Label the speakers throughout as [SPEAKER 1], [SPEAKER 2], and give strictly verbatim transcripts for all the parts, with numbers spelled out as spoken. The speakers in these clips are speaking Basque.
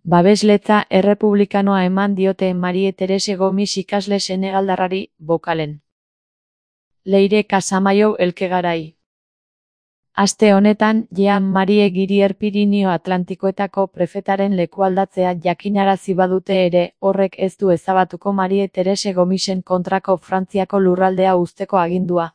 [SPEAKER 1] Babesletza errepublikanoa eman diote Marie Terese Gomis ikasle senegaldarrari, bokalen. Leire Casamayo Elkegarai. Aste honetan, Jean Marie Girier Pirinio Atlantikoetako prefetaren lekualdatzea jakinarazi badute ere, horrek ez du ezabatuko Marie Terese Gomisen kontrako Frantziako lurraldea uzteko agindua.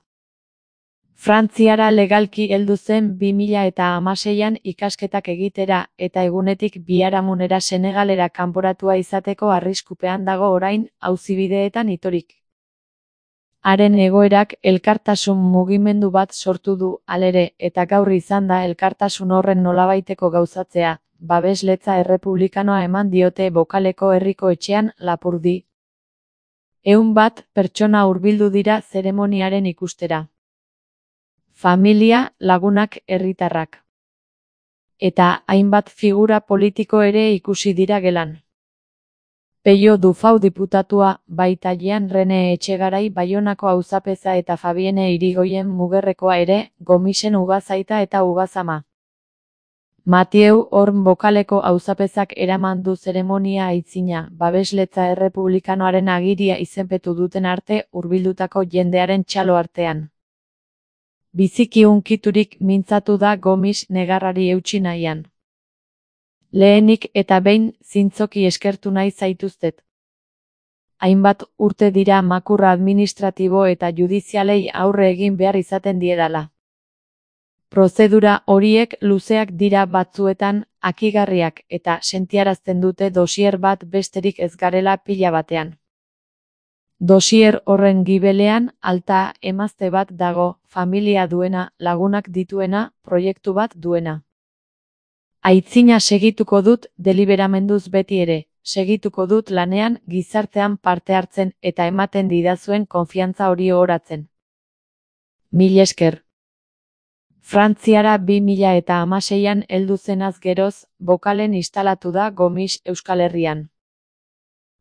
[SPEAKER 1] Frantziara legalki heldu zen bi mila eta hamaseian ikasketak egitera eta egunetik biharamunera Senegalera kanporatua izateko arriskupean dago orain, auzibideetan itorik. Haren egoerak elkartasun mugimendu bat sortu du, halere, eta gaur izan da elkartasun horren nolabaiteko gauzatzea, babesletza errepublikanoa eman diote Bokaleko herriko etxean, Lapurdi. Ehun bat pertsona hurbildu dira zeremoniaren ikustera. Familia, lagunak, herritarrak. Eta hainbat figura politiko ere ikusi dira gelan. Peio Dufau diputatua, baita Jean René Etxegarai Baionako auzapeza eta Fabienne Irigoyen Mugerrekoa ere, Gomisen ugazaita eta ugazama. Mathieu Horn Bokaleko auzapezak eraman du zeremonia aitzina, babesletza errepublikanoaren agiria izenpetu duten arte hurbildutako jendearen txalo artean. Biziki hunkiturik mintzatu da Gomis negarrari eutsi nahian. Lehenik eta behin zintzoki eskertu nahi zaituztet. Hainbat urte dira makurra administratibo eta judizialei aurre egin behar izaten diedala. Prozedura horiek luzeak dira batzuetan, akigarriak eta sentiarazten dute dosier bat besterik ez garela pila batean. Dosier horren gibelean, alta emazte bat dago, familia duena, lagunak dituena, proiektu bat duena. Aitzina segituko dut deliberamenduz beti ere, segituko dut lanean, gizartean parte hartzen eta ematen didazuen konfiantza hori ohoratzen. Mil esker. Frantziara bi mila eta hamaseian heldu zenaz geroz, Bokalen instalatu da Gomis Euskal Herrian.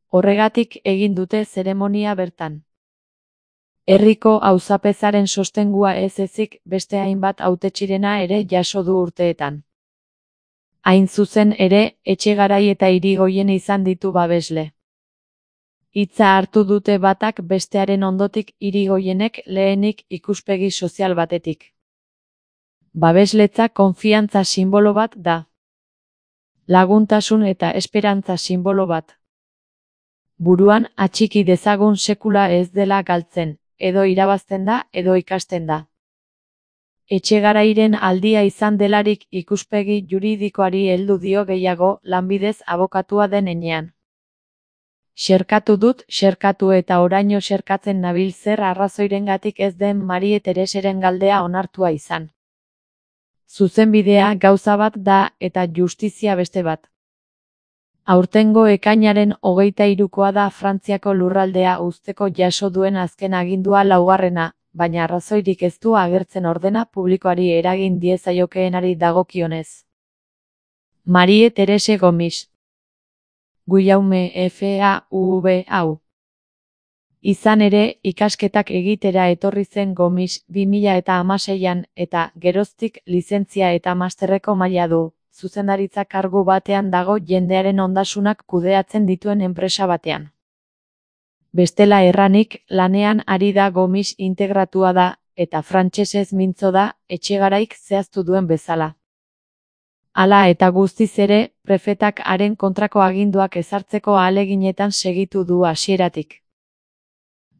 [SPEAKER 1] Horregatik egin dute zeremonia bertan. Herriko auzapezaren sostengua ez ezik beste hainbat hautetxirena ere jaso du urteetan. Hain zuzen ere, Etxegarai eta Irigoyen izan ditu babesle. Hitza hartu dute batak bestearen ondotik Irigoyenek lehenik ikuspegi sozial batetik. Babesletza konfiantza sinbolo bat da. Laguntasun eta esperantza sinbolo bat. Buruan atxiki dezagun sekula ez dela galtzen, edo irabazten da, edo ikasten da. Etxegarairen aldia izan delarik ikuspegi juridikoari heldu dio gehiago lanbidez abokatua den enean. Xerkatu dut, xerkatu eta oraino xerkatzen nabil zer arrazoirengatik ez den Marie Tereseren galdea onartua izan. Zuzenbidea gauza bat da eta justizia beste bat. Aurtengo ekainaren hogeita hirukoa da Frantziako lurraldea uzteko jaso duen azken agindua laugarrena, baina arrazoirik ez du agertzen ordena publikoari eragin diezaiokeenari dagokionez. Marie Terese Gomis. Guillaume F A U V hau. Izan ere, ikasketak egitera etorri zen Gomis bi mila eta hamaseian eta geroztik lizentzia eta masterreko maila du. Zuzendaritza kargu batean dago jendearen ondasunak kudeatzen dituen enpresa batean. Bestela erranik, lanean ari da Gomis integratua da, eta frantsesez mintzo da, Etxegaraik zehaztu duen bezala. Hala eta guztiz ere, prefetak haren kontrako aginduak ezartzeko ahaleginetan segitu du hasieratik.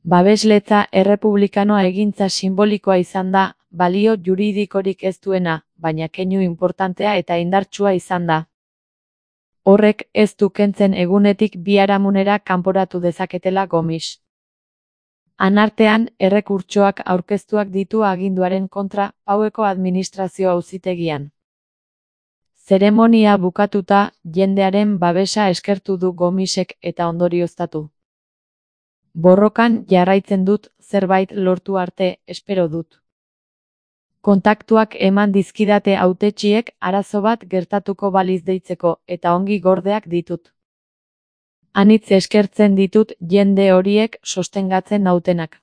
[SPEAKER 1] Babesletza errepublikanoa egintza simbolikoa izan da, balio juridikorik ez duena, baina keinu inportantea eta indartsua izan da. Horrek ez du kentzen egunetik biharamunera kanporatu dezaketela Gomis. Anartean, errekurtsoak aurkeztuak ditu aginduaren kontra Paueko administrazio auzitegian. Zeremonia bukatuta, jendearen babesa eskertu du Gomisek eta ondorioztatu. Borrokan jarraitzen dut, zerbait lortu arte, espero dut. Kontaktuak eman dizkidate hautetsiek arazo bat gertatuko baliz deitzeko eta ongi gordeak ditut. Anitz eskertzen ditut jende horiek sostengatzen nautenak.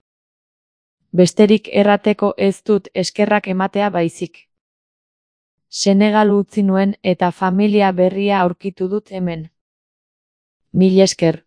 [SPEAKER 1] Besterik errateko ez dut eskerrak ematea baizik. Senegal utzi nuen eta familia berria aurkitu dut hemen. Mil esker.